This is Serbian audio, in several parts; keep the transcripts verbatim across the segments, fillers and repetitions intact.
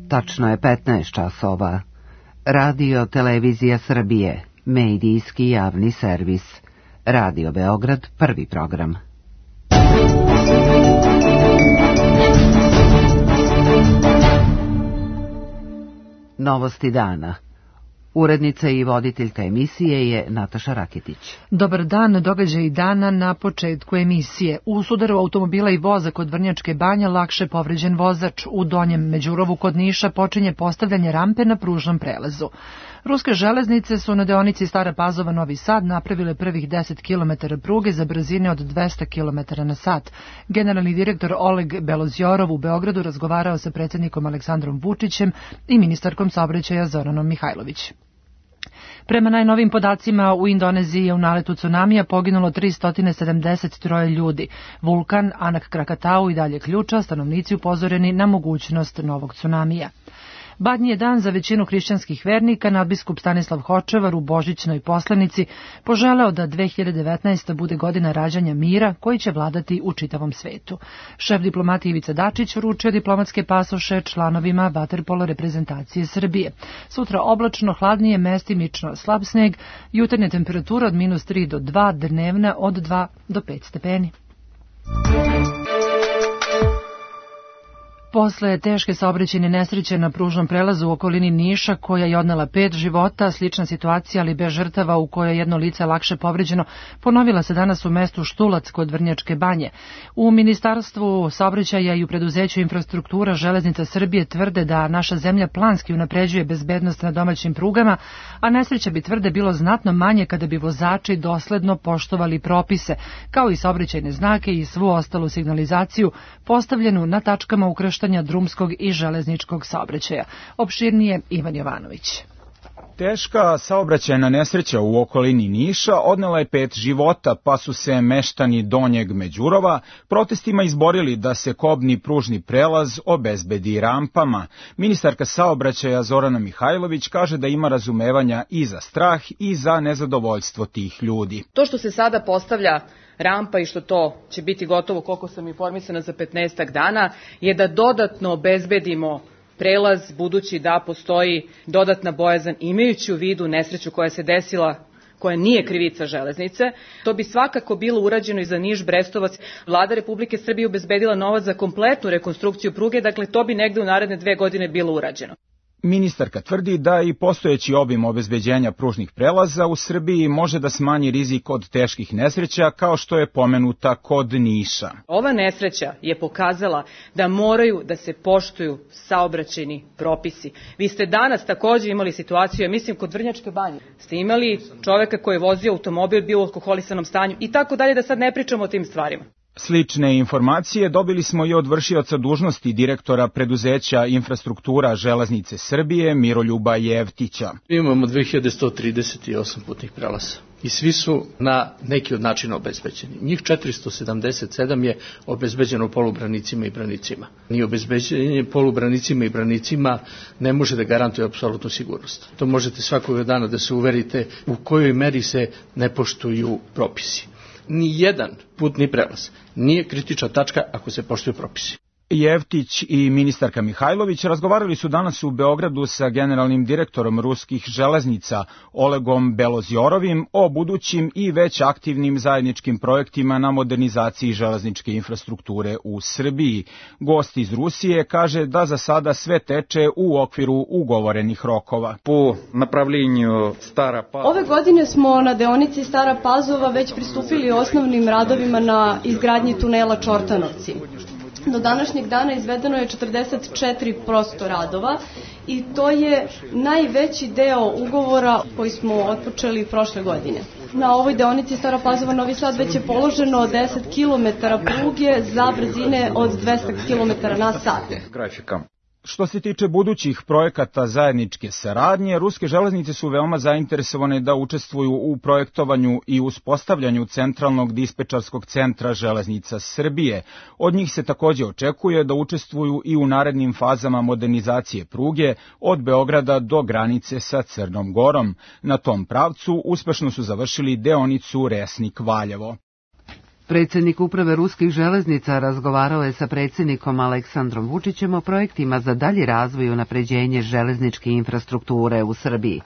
Tačno je petnaest časova. Radio Televizija Srbije, medijski javni servis. Radio Beograd, prvi program. Novosti dana. Urednica i voditeljka emisije je Nataša Raketić. Dobar dan, događaj dana na početku emisije. U sudaru automobila i voza kod Vrnjačke Banje lakše povređen vozač. U Donjem Međurovu kod Niša počinje postavljanje rampe na pružnom prelazu. Ruske železnice su na deonici Stara Pazova-Novi Sad napravile prvih deset kilometara pruge za brzine od dvesta kilometara na sat. Generalni direktor Oleg Belozorov u Beogradu razgovarao sa predsjednikom Aleksandrom Vučićem i ministarkom saobraćaja Zoranom Mihajlović. Prema najnovim podacima, u Indoneziji je u naletu cunamija poginulo tristo sedamdeset tri ljudi. Vulkan Anak Krakatau i dalje ključa, stanovnici upozoreni na mogućnost novog cunamija. Badnji je dan za većinu hrišćanskih vernika. Nadbiskup Stanislav Hočevar u božićnoj poslanici poželeo da dve hiljade devetnaesta. bude godina rađanja mira koji će vladati u čitavom svetu. Šef diplomati Ivica Dačić uručio diplomatske pasoše članovima vaterpolo reprezentacije Srbije. Sutra oblačno, hladnije, mestimično slab sneg, jutarnja temperatura od minus tri do dva, dnevna od dva do pet stepeni. Posle teške saobraćajne nesreće na pružnom prelazu u okolini Niša, koja je odnela pet života, slična situacija, ali bez žrtava, u kojoj jedno lice lakše povređeno, ponovila se danas u mestu Štulac kod Vrnjačke Banje. U Ministarstvu saobraćaja i u preduzeću Infrastruktura Železnica Srbije tvrde da naša zemlja planski unapređuje bezbednost na domaćim prugama, a nesreća bi, tvrde, bilo znatno manje kada bi vozači dosledno poštovali propise, kao i saobraćajne znake i svu ostalu signalizaciju postavljenu na tačkama ukrštanja drumskog i železničkog saobraćaja. Opširnije Ivan Jovanović. Teška saobraćajna nesreća u okolini Niša odnela je pet života, pa su se meštani Donjeg Međurova protestima izborili da se kobni pružni prelaz obezbedi rampama. Ministarka saobraćaja Zorana Mihajlović kaže da ima razumevanja i za strah i za nezadovoljstvo tih ljudi. To što se sada postavlja rampa i što to će biti gotovo, koliko sam informisana, za petnaestak dana, je da dodatno obezbedimo prelaz, budući da postoji dodatna bojazan, imajući u vidu nesreću koja se desila, koja nije krivica železnice. To bi svakako bilo urađeno i za Niš-Brestovac. Vlada Republike Srbije obezbedila novac za kompletnu rekonstrukciju pruge, dakle to bi negde u naredne dve godine bilo urađeno. Ministarka tvrdi da i postojeći obim obezbeđenja pružnih prelaza u Srbiji može da smanji rizik od teških nesreća, kao što je pomenuta kod Niša. Ova nesreća je pokazala da moraju da se poštuju saobraćajni propisi. Vi ste danas takođe imali situaciju, ja mislim kod Vrnjačke Banje, ste imali čoveka koji je vozio automobil, bio u alkoholisanom stanju i tako dalje, da sad ne pričamo o tim stvarima. Slične informacije dobili smo i od vršioca dužnosti direktora preduzeća Infrastruktura Železnice Srbije Miroljuba Jevtića. Imamo dve hiljade sto trideset osam putnih prelaza i svi su na neki od načina obezbeđeni. Njih četiristo sedamdeset sedam je obezbeđeno polubranicima i branicima. Ni obezbeđenje polubranicima i branicima ne može da garantuje apsolutnu sigurnost. To možete svakoga dana da se uverite u kojoj meri se ne poštuju propisi. Ni jedan putni prelaz nije kritična tačka ako se poštuju propisi. Jevtić i ministarka Mihajlović razgovarali su danas u Beogradu sa generalnim direktorom ruskih železnica Olegom Beloziorovim o budućim i već aktivnim zajedničkim projektima na modernizaciji železničke infrastrukture u Srbiji. Gost iz Rusije kaže da za sada sve teče u okviru ugovorenih rokova. Po napravljenju Stara Pazova. Ove godine smo na deonici Stara Pazova već pristupili osnovnim radovima na izgradnji tunela Čortanovci. Do današnjeg dana izvedeno je četrdeset četiri posto radova i to je najveći deo ugovora koji smo otpočeli prošle godine. Na ovoj deonici Stara Pazova-Novi Sad već je položeno deset kilometara pruge za brzine od dvesta kilometara na sat. Grafika. Što se tiče budućih projekata zajedničke saradnje, ruske železnice su veoma zainteresovane da učestvuju u projektovanju i uspostavljanju centralnog dispečarskog centra železnica Srbije. Od njih se takođe očekuje da učestvuju i u narednim fazama modernizacije pruge od Beograda do granice sa Crnom Gorom. Na tom pravcu uspešno su završili deonicu Resnik-Valjevo. Predsjednik uprave ruskih železnica razgovarao je sa predsjednikom Aleksandrom Vučićem o projektima za dalji razvoj i unapređenje železničke infrastrukture u Srbiji.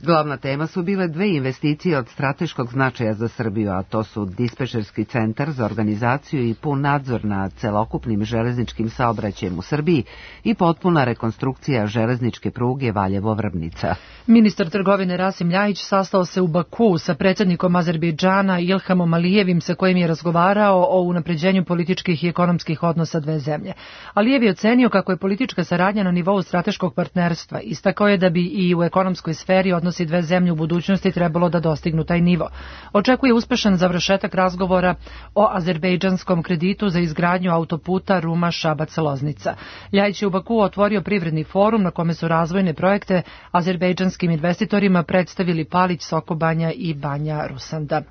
Glavna tema su bile dve investicije od strateškog značaja za Srbiju, a to su dispečerski centar za organizaciju i pun nadzor nad celokupnim železničkim saobraćajem u Srbiji i potpuna rekonstrukcija železničke pruge Valjevo-Vrbnica. Ministar trgovine Rasim Ljajić sastao se u Baku sa predsjednikom Azerbejdžana Ilhamom Alijevim, sa kojim je razgovarao o unapređenju političkih i ekonomskih odnosa dve zemlje. Alijev je ocenio kako je politička saradnja na nivou strateškog partnerstva. Istakao je da bi i u ekonomskoj sferi odnosi dve zemlje u budućnosti trebalo da dostignu taj nivo. Očekuje uspešan završetak razgovora o azerbejdžanskom kreditu za izgradnju autoputa Ruma-Šabac-Loznica. Ljajić je u Baku otvorio privredni forum na kome su razvojne projekte azerbejdžanskim investitorima predstavili Palić, Sokobanja i Banja Rusanda.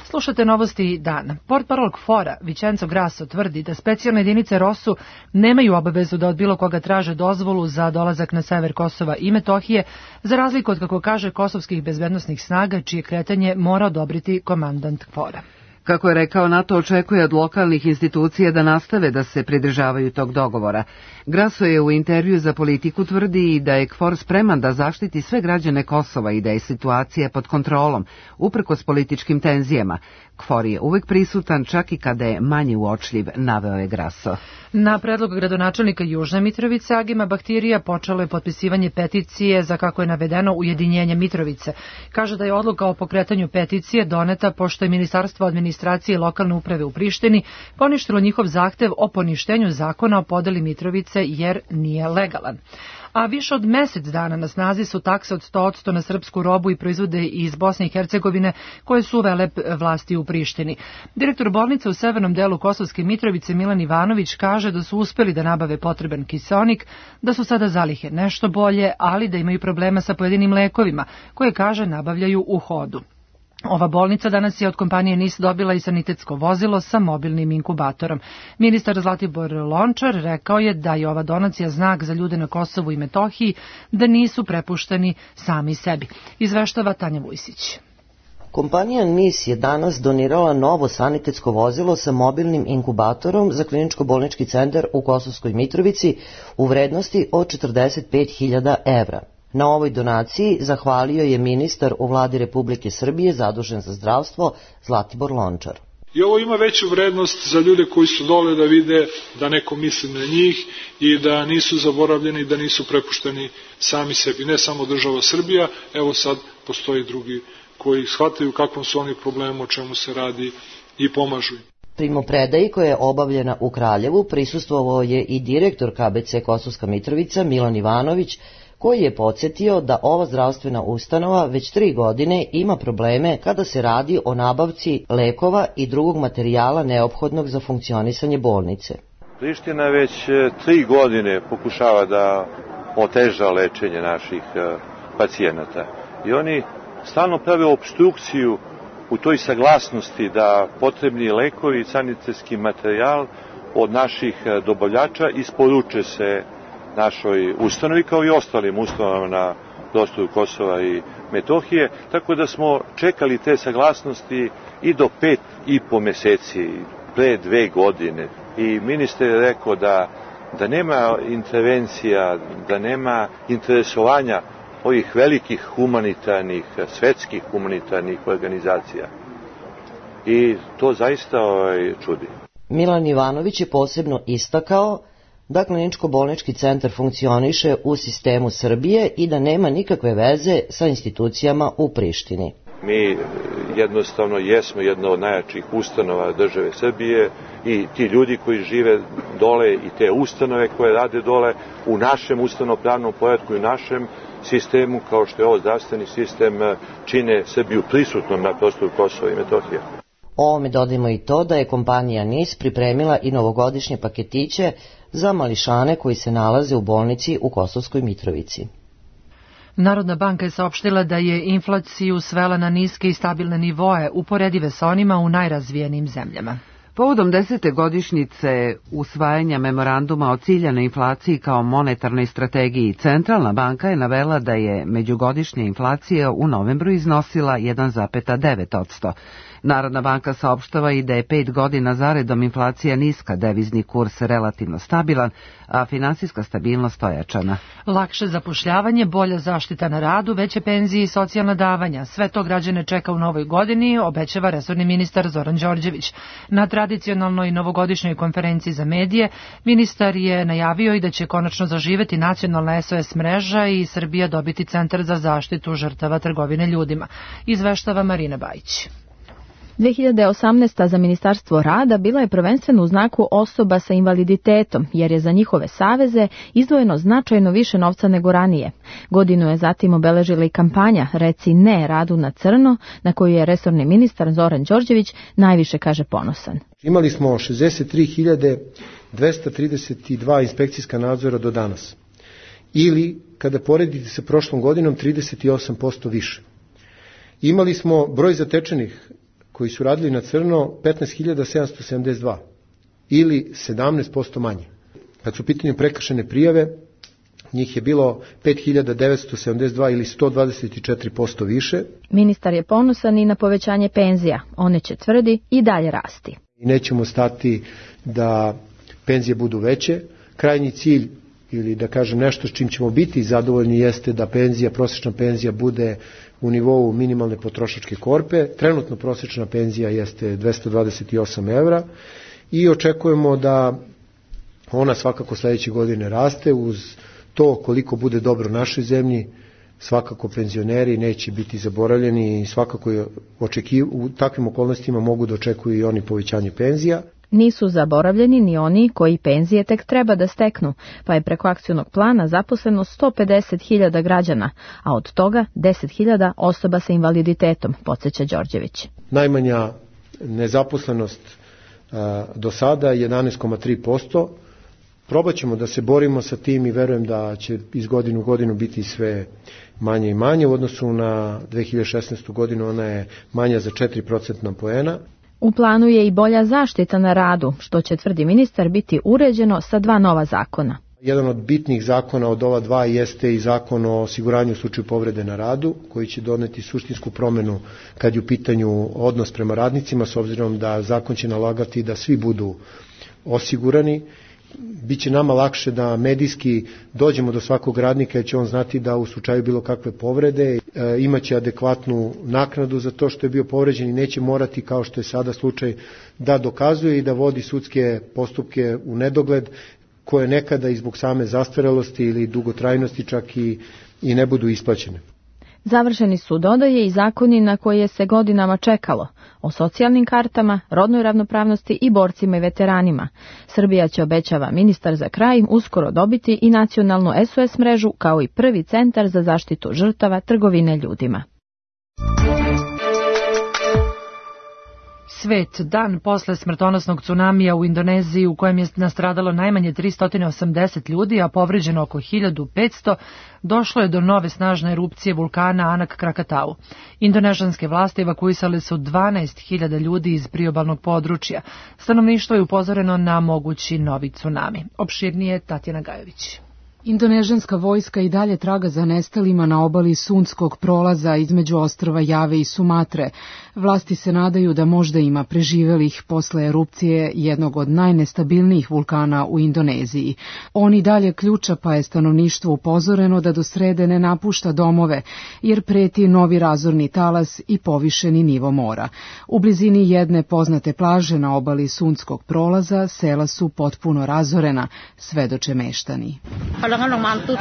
Slušate novosti dana. Portparol KFOR-a Vicenzo Grasso tvrdi da specijalne jedinice ROSU nemaju obavezu da od bilo koga traže dozvolu za dolazak na sever Kosova i Metohije, za razliku od, kako kaže, kosovskih bezbednosnih snaga, čije kretanje mora odobriti komandant KFOR-a. Kako je rekao, NATO očekuje od lokalnih institucija da nastave da se pridržavaju tog dogovora. Grasso je u intervju za Politiku tvrdi da je KFOR spreman da zaštiti sve građane Kosova i da je situacija pod kontrolom, uprkos političkim tenzijama. KFOR je uvek prisutan, čak i kada je manje uočljiv, naveo je Grasso. Na predlog gradonačelnika Južne Mitrovice Agima Bahtirija počelo je potpisivanje peticije za, kako je navedeno, ujedinjenje Mitrovice. Kaže da je odluka o pokretanju peticije doneta pošto je Ministarstvo administracije i lokalne uprave u Prištini poništilo njihov zahtev o poništenju zakona o podeli Mitrovice jer nije legalan. A više od mesec dana na snazi su takse od sto posto na srpsku robu i proizvode iz Bosne i Hercegovine koje su uvele vlasti u Prištini. Direktor bolnice u severnom delu Kosovske Mitrovice Milan Ivanović kaže da su uspeli da nabave potreban kiseonik, da su sada zalihe nešto bolje, ali da imaju problema sa pojedinim lekovima koje, kaže, nabavljaju u hodu. Ova bolnica danas je od kompanije NIS dobila i sanitetsko vozilo sa mobilnim inkubatorom. Ministar Zlatibor Lončar rekao je da je ova donacija znak za ljude na Kosovu i Metohiji, da nisu prepušteni sami sebi. Izveštava Tanja Vujsić. Kompanija NIS je danas donirala novo sanitetsko vozilo sa mobilnim inkubatorom za kliničko-bolnički centar u Kosovskoj Mitrovici u vrednosti od četrdeset pet hiljada evra. Na ovoj donaciji zahvalio je ministar u vladi Republike Srbije zadužen za zdravstvo Zlatibor Lončar. I ovo ima veću vrednost za ljude koji su dole da vide da neko misli na njih i da nisu zaboravljeni, da nisu prepušteni sami sebi. Ne samo država Srbija, evo sad postoji drugi koji shvataju kakvom su oni problemu, o čemu se radi i pomažu im. Primopredaji koja je obavljena u Kraljevu prisustvovao je i direktor K B C Kosovska Mitrovica Milan Ivanović, koji je podsjetio da ova zdravstvena ustanova već tri godine ima probleme kada se radi o nabavci lekova i drugog materijala neophodnog za funkcionisanje bolnice. Priština već tri godine pokušava da oteža lečenje naših pacijenata i oni stalno prave opstrukciju u toj saglasnosti da potrebni lekovi i sanitetski materijal od naših dobavljača isporuče se našoj ustanovi kao i ostalim ustanovama na prostoru Kosova i Metohije, tako da smo čekali te saglasnosti i do pet i po meseci, pre dve godine. I ministar je rekao da, da nema intervencija, da nema interesovanja ovih velikih humanitarnih, svetskih humanitarnih organizacija. I to zaista ovaj, čudi. Milan Ivanović je posebno istakao da kliničko-bolnički centar funkcioniše u sistemu Srbije i da nema nikakve veze sa institucijama u Prištini. Mi jednostavno jesmo jedna od najjačih ustanova države Srbije i ti ljudi koji žive dole i te ustanove koje rade dole u našem ustavno-pravnom poretku i našem sistemu, kao što je ovo zdravstveni sistem, čine Srbiju prisutnom na prostoru Kosova i Metohije. Ovome dodajmo i to da je kompanija NIS pripremila i novogodišnje paketiće za mališane koji se nalaze u bolnici u Kosovskoj Mitrovici. Narodna banka je saopštila da je inflaciju svela na niske i stabilne nivoe, uporedive sa onima u najrazvijenim zemljama. Povodom desete godišnjice usvajanja memoranduma o ciljanoj inflaciji kao monetarnoj strategiji, Centralna banka je navela da je međugodišnja inflacija u novembru iznosila jedan zarez devet posto. Narodna banka saopštava i da je pet godina zaredom inflacija niska, devizni kurs relativno stabilan, a finansijska stabilnost ojačana. Lakše zapošljavanje, bolja zaštita na radu, veće penzije i socijalna davanja. Sve to građane čeka u novoj godini, obećava resorni ministar Zoran Đorđević. Na tradicionalnoj novogodišnjoj konferenciji za medije ministar je najavio i da će konačno zaživeti nacionalna S O S mreža i Srbija dobiti centar za zaštitu žrtava trgovine ljudima. Izveštava Marina Bajić. dve hiljade osamnaesta. za Ministarstvo rada bila je prvenstveno u znaku osoba sa invaliditetom, jer je za njihove saveze izdvojeno značajno više novca nego ranije. Godinu je zatim obeležila i kampanja Reci ne radu na crno, na koju je resorni ministar Zoran Đorđević najviše, kaže, ponosan. Imali smo šezdeset tri hiljade dvesta trideset dva inspekcijska nadzora do danas, ili, kada poredite sa prošlom godinom, trideset osam posto više. Imali smo broj zatečenih koji su radili na crno petnaest hiljada sedamsto sedamdeset dva ili sedamnaest posto manje. Kad su u pitanju prekršajne prijave, njih je bilo pet hiljada devetsto sedamdeset dva ili sto dvadeset četiri posto više. Ministar je ponosan i na povećanje penzija. One će, tvrdi, i dalje rasti. I nećemo stati da penzije budu veće. Krajnji cilj, ili da kažem nešto s čim ćemo biti zadovoljni, jeste da penzija, prosječna penzija bude u nivou minimalne potrošačke korpe. Trenutno prosječna penzija jeste dvesta dvadeset osam evra i očekujemo da ona svakako sledeće godine raste. Uz to koliko bude dobro našoj zemlji, svakako penzioneri neće biti zaboravljeni i svakako je očekiv... u takvim okolnostima mogu da očekuju i oni povećanje penzija. Nisu zaboravljeni ni oni koji penzije tek treba da steknu, pa je preko akcionog plana zaposleno sto pedeset hiljada građana, a od toga deset hiljada osoba sa invaliditetom, podsjeća Đorđević. Najmanja nezaposlenost a, do sada je jedanaest zarez tri posto. Probat ćemo da se borimo sa tim i verujem da će iz godinu u godinu biti sve manje i manje. U odnosu na dve hiljade šesnaestu. godinu ona je manja za četiri procentna poena. U planu je i bolja zaštita na radu, što će, tvrdi ministar, biti uređeno sa dva nova zakona. Jedan od bitnih zakona od ova dva jeste i zakon o osiguranju u slučaju povrede na radu, koji će doneti suštinsku promenu kad je u pitanju odnos prema radnicima, s obzirom da zakon će nalagati da svi budu osigurani. Biće nama lakše da medijski dođemo do svakog radnika, jer će on znati da u slučaju bilo kakve povrede e, imaće adekvatnu naknadu za to što je bio povređen i neće morati, kao što je sada slučaj, da dokazuje i da vodi sudske postupke u nedogled, koje nekada i zbog same zastarelosti ili dugotrajnosti čak i, i ne budu isplaćene. Završeni su, dodaje, i zakoni na koje se godinama čekalo, o socijalnim kartama, rodnoj ravnopravnosti i borcima i veteranima. Srbija će, obećava ministar za kraj, uskoro dobiti i nacionalnu S O S mrežu kao i prvi centar za zaštitu žrtava trgovine ljudima. Svet, dan posle smrtonosnog tsunamija u Indoneziji, u kojem je nastradalo najmanje tristo osamdeset ljudi, a povređeno oko hiljadu petsto, došlo je do nove snažne erupcije vulkana Anak Krakatau. Indonežanske vlasti evakuisale su dvanaest hiljada ljudi iz priobalnog područja. Stanovništvo je upozoreno na mogući novi tsunami. Opširnije Tatjana Gajović. Indonežanska vojska i dalje traga za nestalima na obali Sunskog prolaza između ostrva Jave i Sumatre. Vlasti se nadaju da možda ima preživelih posle erupcije jednog od najnestabilnijih vulkana u Indoneziji. On i dalje ključa, pa je stanovništvo upozoreno da do srede ne napušta domove, jer preti novi razorni talas i povišeni nivo mora. U blizini jedne poznate plaže na obali Sunskog prolaza sela su potpuno razorena, svedoče meštani.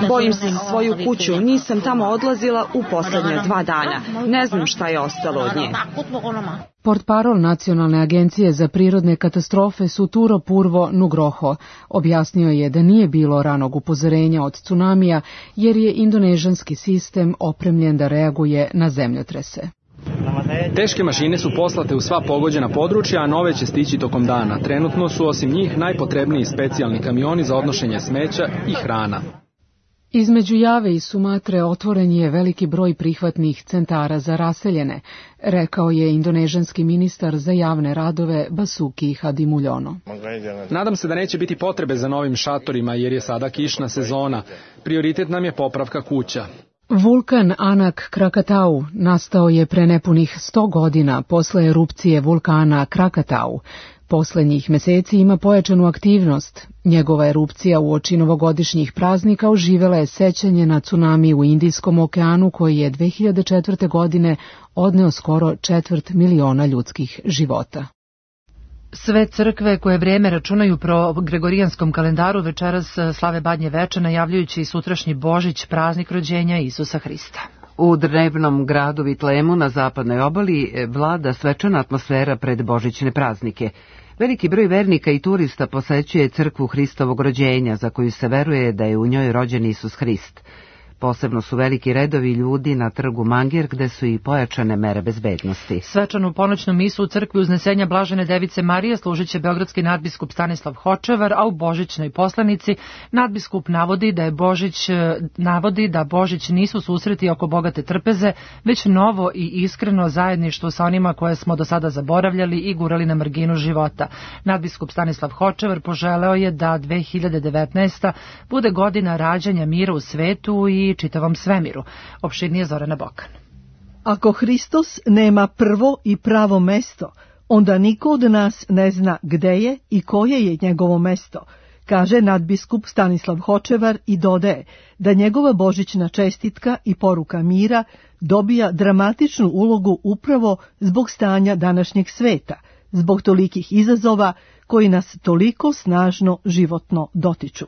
Bojim se svoju kuću, nisam tamo odlazila u poslednja dva dana. Ne znam šta je ostalo od nje. Portparol Nacionalne agencije za prirodne katastrofe Suturo Purvo Nugroho objasnio je da nije bilo ranog upozorenja od tsunamija, jer je indonežanski sistem opremljen da reaguje na zemljotrese. Teške mašine su poslate u sva pogođena područja, a nove će stići tokom dana. Trenutno su osim njih najpotrebniji specijalni kamioni za odnošenje smeća i hrana. Između Jave i Sumatre otvoren je veliki broj prihvatnih centara za raseljene, rekao je indonežanski ministar za javne radove Basuki Hadimuljono. Nadam se da neće biti potrebe za novim šatorima, jer je sada kišna sezona. Prioritet nam je popravka kuća. Vulkan Anak Krakatau nastao je pre nepunih sto godina posle erupcije vulkana Krakatau. Poslednjih meseci ima pojačanu aktivnost. Njegova erupcija uoči novogodišnjih praznika oživela je sećanje na tsunami u Indijskom okeanu koji je dve hiljade četvrte. godine odneo skoro četvrt miliona ljudskih života. Sve crkve koje vreme računaju pro gregorijanskom kalendaru večeras slave Badnje veče, najavljujući i sutrašnji Božić, praznik rođenja Isusa Hrista. U drevnom gradu Vitlemu na zapadnoj obali vlada svečana atmosfera pred božićne praznike. Veliki broj vernika i turista posećuje crkvu Hristovog rođenja, za koju se veruje da je u njoj rođen Isus Hrist. Posebno su veliki redovi ljudi na trgu Mangir, gde su i pojačane mere bezbednosti. Svečanu ponoćnu misu u crkvi Uznesenja Blažene Device Marije služit će beogradski nadbiskup Stanislav Hočevar, a u božićnoj poslanici nadbiskup navodi da je Božić navodi da Božić nisu susreti oko bogate trpeze, već novo i iskreno zajedništvo sa onima koje smo do sada zaboravljali i gurali na marginu života. Nadbiskup Stanislav Hočevar poželeo je da dve hiljade devetnaesta. bude godina rađanja mira u svetu i čitavom svemiru. Opširnije Zorana Bokan. Ako Hristos nema prvo i pravo mesto, onda niko od nas ne zna gde je i koje je njegovo mesto, kaže nadbiskup Stanislav Hočevar i dodaje da njegova božićna čestitka i poruka mira dobija dramatičnu ulogu upravo zbog stanja današnjeg sveta, zbog tolikih izazova koji nas toliko snažno životno dotiču.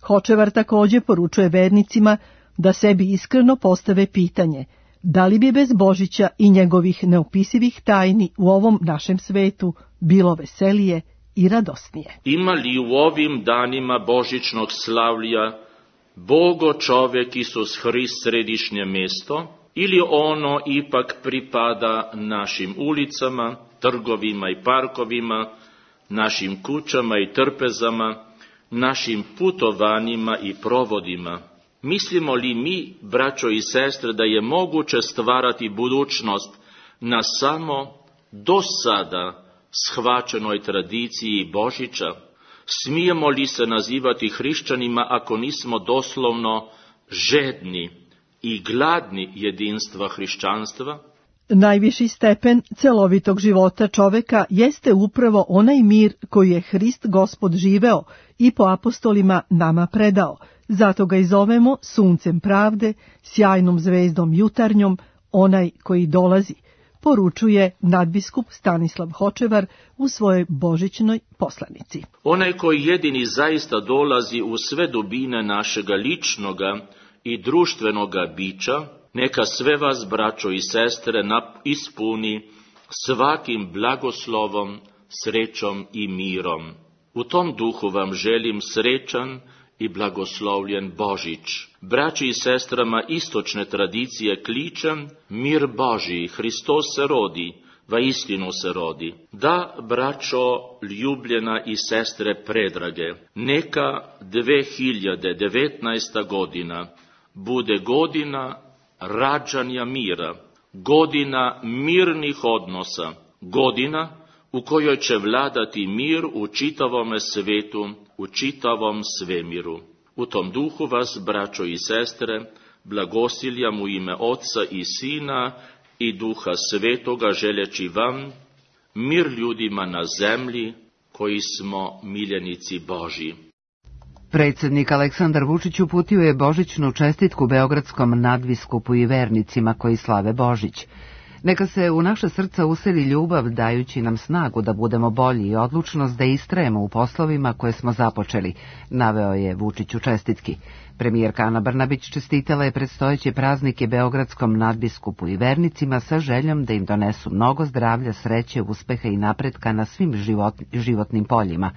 Hočevar takođe poručuje vernicima da sebi iskreno postave pitanje da li bi bez Božića i njegovih neopisivih tajni u ovom našem svetu bilo veselije i radosnije. Ima li u ovim danima božićnog slavlja Bogo čovek Isus Hrist središnje mesto ili ono ipak pripada našim ulicama, trgovima i parkovima, našim kućama i trpezama, našim putovanjima i provodima? Mislimo li mi, braćo i sestre, da je moguće stvarati budućnost na samo do sada shvaćenoj tradiciji Božića? Smijemo li se nazivati hrišćanima ako nismo doslovno žedni i gladni jedinstva hrišćanstva? Najviši stepen celovitog života čoveka jeste upravo onaj mir koji je Hrist Gospod živeo i po apostolima nama predao. Zato ga i zovemo suncem pravde, sjajnom zvezdom jutarnjom, onaj koji dolazi, poručuje nadbiskup Stanislav Hočevar u svojoj božićnoj poslanici. Onaj koji jedini zaista dolazi u sve dubine našega ličnoga i društvenoga bića, neka sve vas, braćo i sestre, ispuni svakim blagoslovom, srećom i mirom. U tom duhu vam želim srećan i blagoslovljen Božić. Braći i sestrama istočne tradicije kličem, mir Božji, Hristos se rodi, va istinu se rodi. Da, braćo ljubljena i sestre predrage, neka dve hiljade devetnaesta. godina bude godina rađanja mira, godina mirnih odnosa, godina u kojoj će vladati mir u čitavome svetu, u čitavom svemiru. U tom duhu vas, braćo i sestre, blagosiljam u ime Otca i Sina i Duha Svetoga, želeći vam mir ljudima na zemlji koji smo miljenici Božji. Predsjednik Aleksandar Vučić uputio je božićnu čestitku beogradskom nadbiskupu i vernicima koji slave Božić. Neka se u naša srca useli ljubav, dajući nam snagu da budemo bolji i odlučnost da istrajemo u poslovima koje smo započeli, naveo je Vučić u čestitki. Premijerka Ana Brnabić čestitala je predstojeće praznike beogradskom nadbiskupu i vernicima sa željom da im donesu mnogo zdravlja, sreće, uspeha i napretka na svim život, životnim poljima.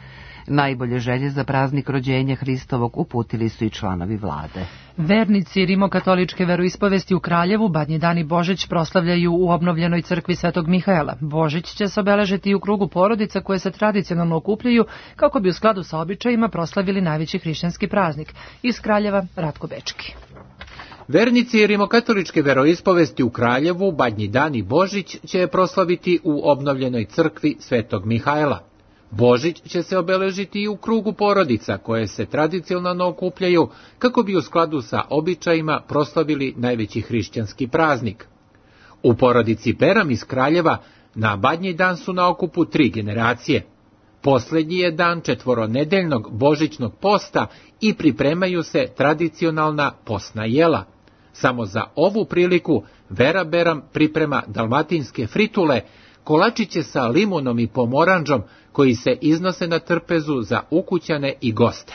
Najbolje želje za praznik rođenja Hristovog uputili su i članovi vlade. Vernici rimokatoličke veroispovesti u Kraljevu Badnji dan i Božić proslavljaju u obnovljenoj crkvi Svetog Mihajla. Božić će se obeležiti i u krugu porodica koje se tradicionalno okupljaju kako bi u skladu sa običajima proslavili najveći hrišćanski praznik. Iz Kraljeva Ratko Bečki. Vernici rimokatoličke veroispovesti u Kraljevu Badnji dan i Božić će proslaviti u obnovljenoj crkvi Svetog Mihajla. Božić će se obeležiti i u krugu porodica koje se tradicionalno okupljaju kako bi u skladu sa običajima proslavili najveći hrišćanski praznik. U porodici Peram iz Kraljeva na Badnji dan su na okupu tri generacije. Poslednji je dan četvoronedeljnog božićnog posta i pripremaju se tradicionalna postna jela. Samo za ovu priliku Vera Beram priprema dalmatinske fritule, kolačiće sa limunom i pomoranđom koji se iznose na trpezu za ukućane i goste.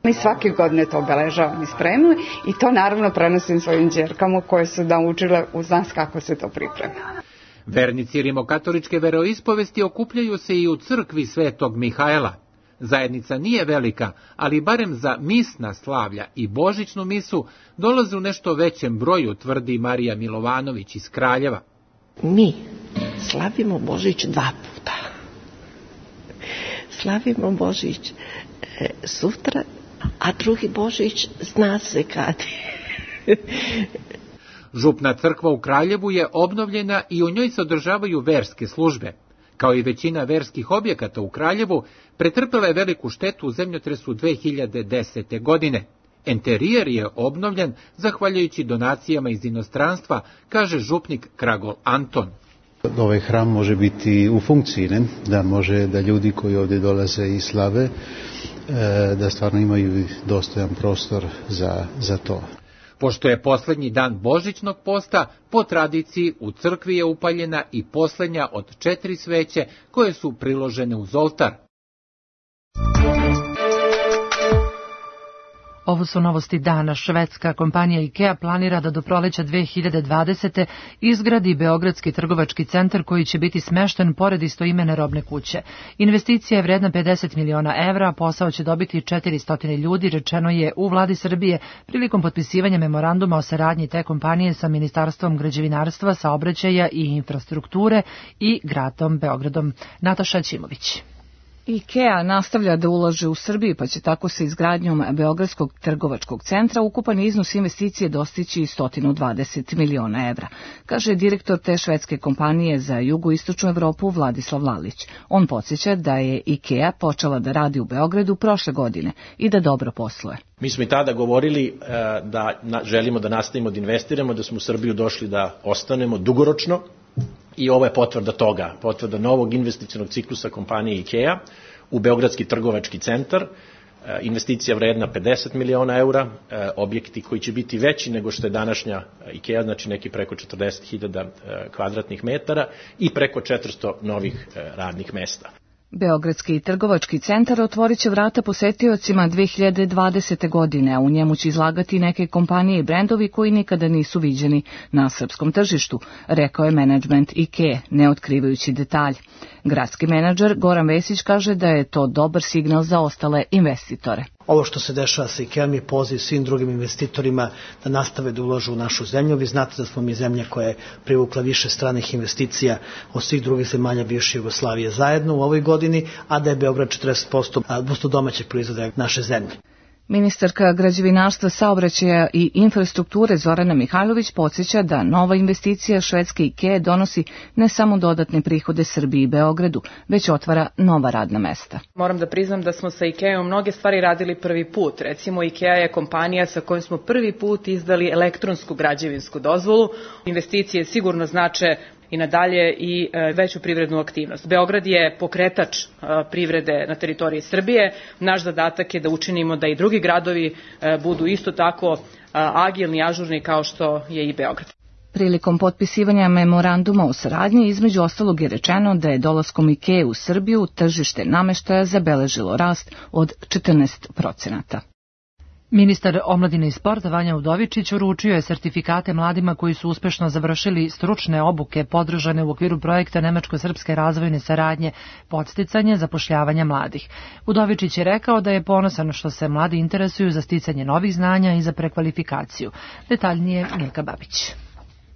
Mi svake godine to obeležavamo i spremamo i to naravno prenosim svojim đerkama koje su naučile uz nas kako se to priprema. Vernici rimokatoličke veroispovesti okupljaju se i u crkvi Svetog Mihajla. Zajednica nije velika, ali barem za misna slavlja i božićnu misu dolaze u nešto većem broju, tvrdi Marija Milovanović iz Kraljeva. Mi slavimo Božić dva puta. Slavimo Božić e, sutra, a drugi Božić zna se kad. Župna crkva u Kraljevu je obnovljena i u njoj se održavaju verske službe. Kao i većina verskih objekata u Kraljevu, pretrpela je veliku štetu u zemljotresu dve hiljade desete. godine. Enterijer je obnovljen zahvaljujući donacijama iz inostranstva, kaže župnik Kragol Anton. Ovaj hram može biti u funkciji, ne? Da može da ljudi koji ovdje dolaze i slave, da stvarno imaju dostojan prostor za, za to. Pošto je posljednji dan božićnog posta, po tradiciji u crkvi je upaljena i posljednja od četiri sveće koje su priložene uz oltar. Ovo su novosti dana. Švedska kompanija IKEA planira da do proleća dve hiljade dvadesete. izgradi Beogradski trgovački centar koji će biti smešten pored istoimene robne kuće. Investicija je vredna pedeset miliona evra, a posao će dobiti četiristo ljudi, rečeno je u vladi Srbije prilikom potpisivanja memoranduma o saradnji te kompanije sa Ministarstvom građevinarstva, saobraćaja i infrastrukture i gradom Beogradom. Nataša Ćimović. IKEA nastavlja da ulaže u Srbiji, pa će tako sa izgradnjom Beogradskog trgovačkog centra ukupan iznos investicije dostići sto dvadeset miliona evra, kaže direktor te švedske kompanije za jugoistočnu Evropu Vladislav Lalić. On podsjeća da je IKEA počela da radi u Beogradu prošle godine i da dobro posluje. Mi smo i tada govorili da želimo da nastavimo da investiramo, da smo u Srbiju došli da ostanemo dugoročno. I ovo je potvrda toga, potvrda novog investicionog ciklusa kompanije IKEA u Beogradski trgovački centar, investicija vredna pedeset miliona eura, objekti koji će biti veći nego što je današnja IKEA, znači neki preko četrdeset hiljada kvadratnih metara i preko četiristo novih radnih mesta. Beogradski trgovački centar otvorit će vrata posetiocima dve hiljade dvadesete. godine, a u njemu će izlagati neke kompanije i brendovi koji nikada nisu viđeni na srpskom tržištu, rekao je menadžment IKEA, ne otkrivajući detalj. Gradski menadžer Goran Vesić kaže da je to dobar signal za ostale investitore. Ovo što se dešava sa IKEA je poziv svim drugim investitorima da nastave da ulažu u našu zemlju. Vi znate da smo mi zemlja koja je privukla više stranih investicija od svih drugih zemalja bivše Jugoslavije zajedno u ovoj godini, a da je Beograd četrdeset posto domaćeg proizvoda naše zemlje. Ministarka građevinarstva, saobraćaja i infrastrukture Zorana Mihajlović podsjeća da nova investicija švedske IKEA donosi ne samo dodatne prihode Srbiji i Beogradu, već otvara nova radna mesta. Moram da priznam da smo sa IKEA mnoge stvari radili prvi put. Recimo, IKEA je kompanija sa kojom smo prvi put izdali elektronsku građevinsku dozvolu. Investicije sigurno znače i nadalje i veću privrednu aktivnost. Beograd je pokretač privrede na teritoriji Srbije. Naš zadatak je da učinimo da i drugi gradovi budu isto tako agilni, ažurni kao što je i Beograd. Prilikom potpisivanja memoranduma o saradnji između ostalog je rečeno da je dolaskom IKEA u Srbiju tržište nameštaja zabeležilo rast od četrnaest procenata. Ministar omladine i sporta Vanja Udovičić uručio je sertifikate mladima koji su uspešno završili stručne obuke podržane u okviru projekta Nemačko-srpske razvojne saradnje podsticanje zapošljavanja mladih. Udovičić je rekao da je ponosan što se mladi interesuju za sticanje novih znanja i za prekvalifikaciju. Detaljnije Milka Babić.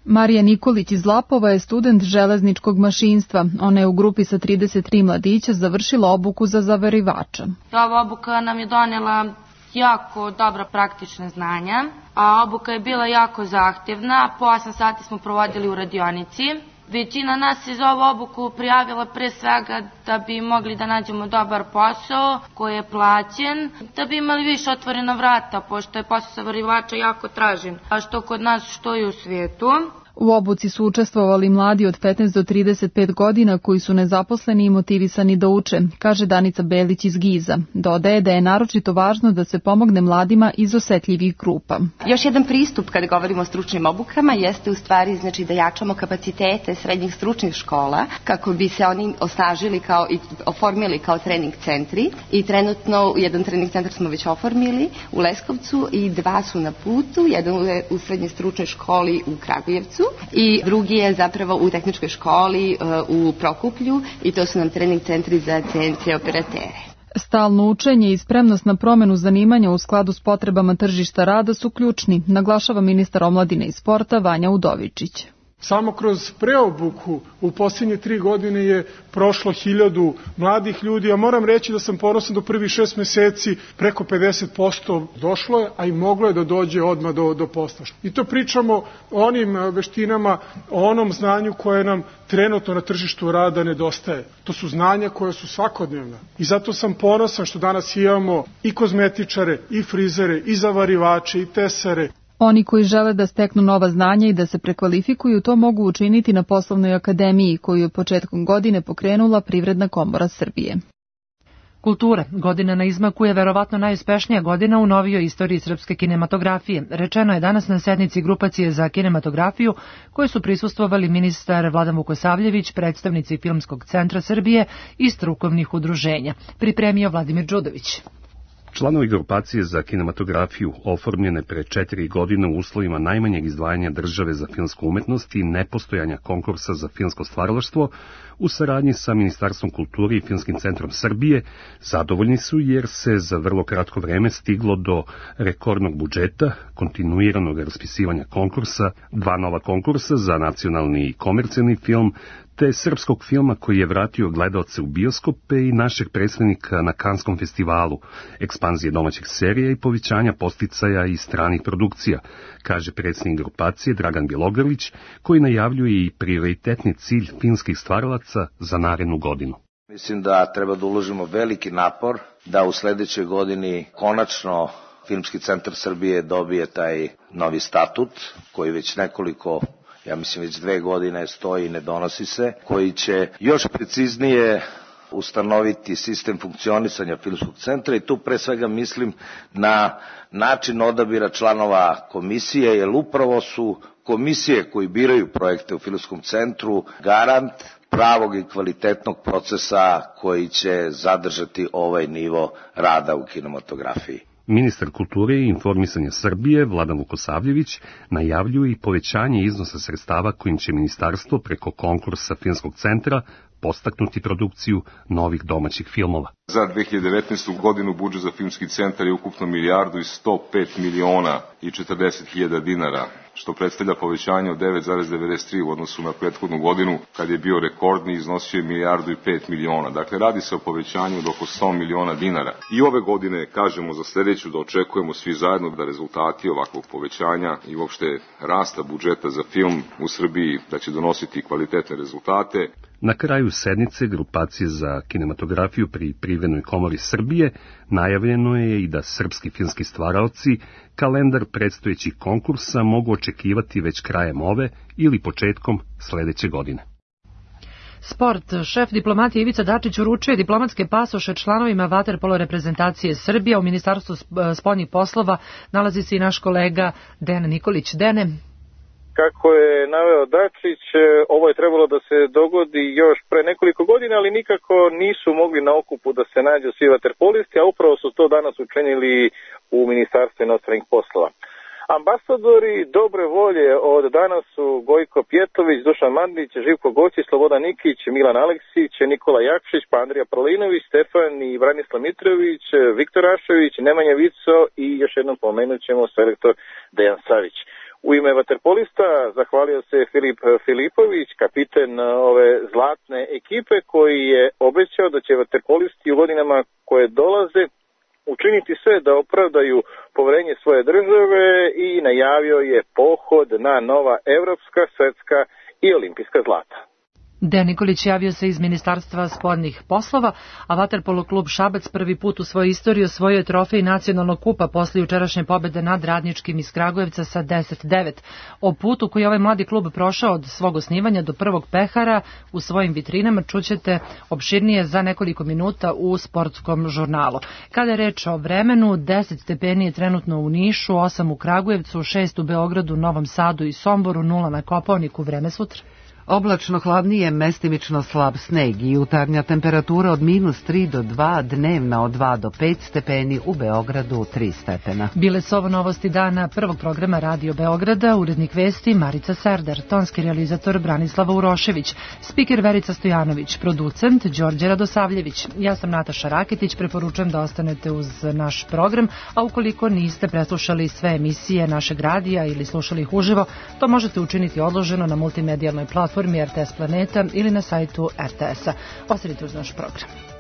Marija Nikolić iz Lapova je student železničkog mašinstva. Ona je u grupi sa trideset tri mladića završila obuku za zavarivača. Ova obuka nam je donela jako dobra praktična znanja, a obuka je bila jako zahtjevna. Po osam sati smo provodili u radionici Većina nas se za ovu obuku prijavila pre svega da bi mogli da nađemo dobar posao koji je plaćen, da bi imali više otvorena vrata, pošto je posao zavarivača jako tražen, a što kod nas, što i u svijetu. U obuci su učestvovali mladi od petnaest do trideset pet godina koji su nezaposleni i motivisani da uče, kaže Danica Belić iz Giza. Dodaje da je naročito važno da se pomogne mladima iz osetljivih grupa. Još jedan pristup kada govorimo o stručnim obukama jeste u stvari znači da jačamo kapacitete srednjih stručnih škola kako bi se oni osnažili kao i oformili kao trening centri i trenutno jedan trening centar smo već oformili u Leskovcu i dva su na putu, jedan je u srednjoj stručnoj školi u Kragujevcu i drugi je zapravo u tehničkoj školi u Prokuplju i to su nam trening centri za C N C operatere. Stalno učenje i spremnost na promenu zanimanja u skladu s potrebama tržišta rada su ključni, naglašava ministar omladine i sporta Vanja Udovičić. Samo kroz preobuku u posljednje tri godine je prošlo hiljadu mladih ljudi, a moram reći da sam ponosan do prvih šest meseci preko pedeset posto došlo je, a i moglo je da dođe odmah do, do posla. I to pričamo o onim veštinama, o onom znanju koje nam trenutno na tržištu rada nedostaje. To su znanja koje su svakodnevna. I zato sam ponosan što danas imamo i kozmetičare, i frizere, i zavarivače, i tesare. Oni koji žele da steknu nova znanja i da se prekvalifikuju, to mogu učiniti na Poslovnoj akademiji, koju je početkom godine pokrenula Privredna komora Srbije. Kultura. Godina na izmaku je verovatno najuspešnija godina u novijoj istoriji srpske kinematografije. Rečeno je danas na sednici grupacije za kinematografiju, koje su prisustvovali ministar Vladan Vukosavljević, predstavnici Filmskog centra Srbije i strukovnih udruženja. Pripremio Vladimir Đudović. Članovi grupacije za kinematografiju, oformljene pre četiri godine u uslovima najmanjeg izdvajanja države za filmsku umetnost i nepostojanja konkursa za filmsko stvaralaštvo, u saradnji sa Ministarstvom kulture i Filmskim centrom Srbije, zadovoljni su jer se za vrlo kratko vreme stiglo do rekordnog budžeta, kontinuiranog raspisivanja konkursa, dva nova konkursa za nacionalni i komercijalni film, te srpskog filma koji je vratio gledaoce u bioskope i našeg predstavnika na Kanskom festivalu, ekspanzije domaćih serija i povećanja posticaja i stranih produkcija, kaže predsjednik grupacije Dragan Bjelogrlić, koji najavljuje i prioritetni cilj filmskih stvaralaca za narednu godinu. Mislim da treba da uložimo veliki napor da u sledećoj godini konačno Filmski centar Srbije dobije taj novi statut koji već nekoliko ja mislim već dve godine stoji i ne donosi se, koji će još preciznije ustanoviti sistem funkcionisanja Filmskog centra i tu pre svega mislim na način odabira članova komisije, jer upravo su komisije koji biraju projekte u Filmskom centru garant pravog i kvalitetnog procesa koji će zadržati ovaj nivo rada u kinematografiji. Ministar kulture i informisanja Srbije, Vladan Vukosavljević, najavljuje i povećanje iznosa sredstava kojim će ministarstvo preko konkursa Filmskog centra postaknuti produkciju novih domaćih filmova. Za dve hiljade devetnaestu. godinu budžet za Filmski centar je ukupno milijardu i sto pet miliona i četrdeset hiljada dinara, što predstavlja povećanje od devet zarez devedeset tri u odnosu na prethodnu godinu, kad je bio rekordni, iznosio je milijardu i pet miliona. Dakle, radi se o povećanju od oko sto miliona dinara. I ove godine, kažemo za sledeću, da očekujemo svi zajedno da rezultati ovakvog povećanja i uopšte rasta budžeta za film u Srbiji da će donositi kvalitetne rezultate. Na kraju sednice grupacije za kinematografiju pri Privrednoj komori Srbije najavljeno je i da srpski filmski stvaraoci kalendar predstojećih konkursa mogu očekivati već krajem ove ili početkom sledeće godine. Sport. Šef diplomatije Ivica Dačić uručuje diplomatske pasoše članovima vaterpolo reprezentacije Srbije. U Ministarstvu spoljnih poslova nalazi se i naš kolega Dejan Nikolić. Dene. Kako je naveo Dačić, ovo je trebalo da se dogodi još pre nekoliko godina, ali nikako nisu mogli na okupu da se nađu svi vaterpolisti, a upravo su to danas učinili u Ministarstvu inostranih poslova. Ambasadori dobre volje od danas su Gojko Pjetović, Dušan Mandić, Živko Gočić, Slobodan Nikić, Milan Aleksić, Nikola Jakšić, pa Andrija Prolinović, Stefan i Branislav Mitrović, Viktor Rašović, Nemanja Vico i još jednom pomenut ćemo selektor Dejan Savić. U ime vaterpolista zahvalio se Filip Filipović, kapiten ove zlatne ekipe, koji je obećao da će vaterpolisti u godinama koje dolaze učiniti sve da opravdaju poverenje svoje države i najavio je pohod na nova evropska, svetska i olimpijska zlata. Dejan Nikolić javio se iz Ministarstva spoljnih poslova, a vaterpolo klub Šabac prvi put u svojoj istoriji osvojio je trofej nacionalnog kupa posle jučerašnje pobede nad Radničkim iz Kragujevca sa deset devet. O putu koji je ovaj mladi klub prošao od svog osnivanja do prvog pehara u svojim vitrinama čućete opširnije za nekoliko minuta u sportskom žurnalu. Kada je reč o vremenu, deset stepeni je trenutno u Nišu, osam u Kragujevcu, šest u Beogradu, Novom Sadu i Somboru, nula na Kopaoniku. Vreme sutra. Oblačno hladnije, mestimično slab sneg i jutarnja temperatura od minus tri do dva, dnevna od dva do pet stepeni, u Beogradu tri stepena. Bile su ovo novosti dana prvog programa Radio Beograda, urednik vesti Marica Serdar, tonski realizator Branislava Urošević, spiker Verica Stojanović, producent Đorđe Radosavljević. Ja sam Nataša Raketić, preporučujem da ostanete uz naš program, a ukoliko niste preslušali sve emisije našeg radija ili slušali ih uživo, to možete učiniti odloženo na multimedijalnoj platformi R T S Planeta ili na sajtu R T S-a. Ostanite uz naš program.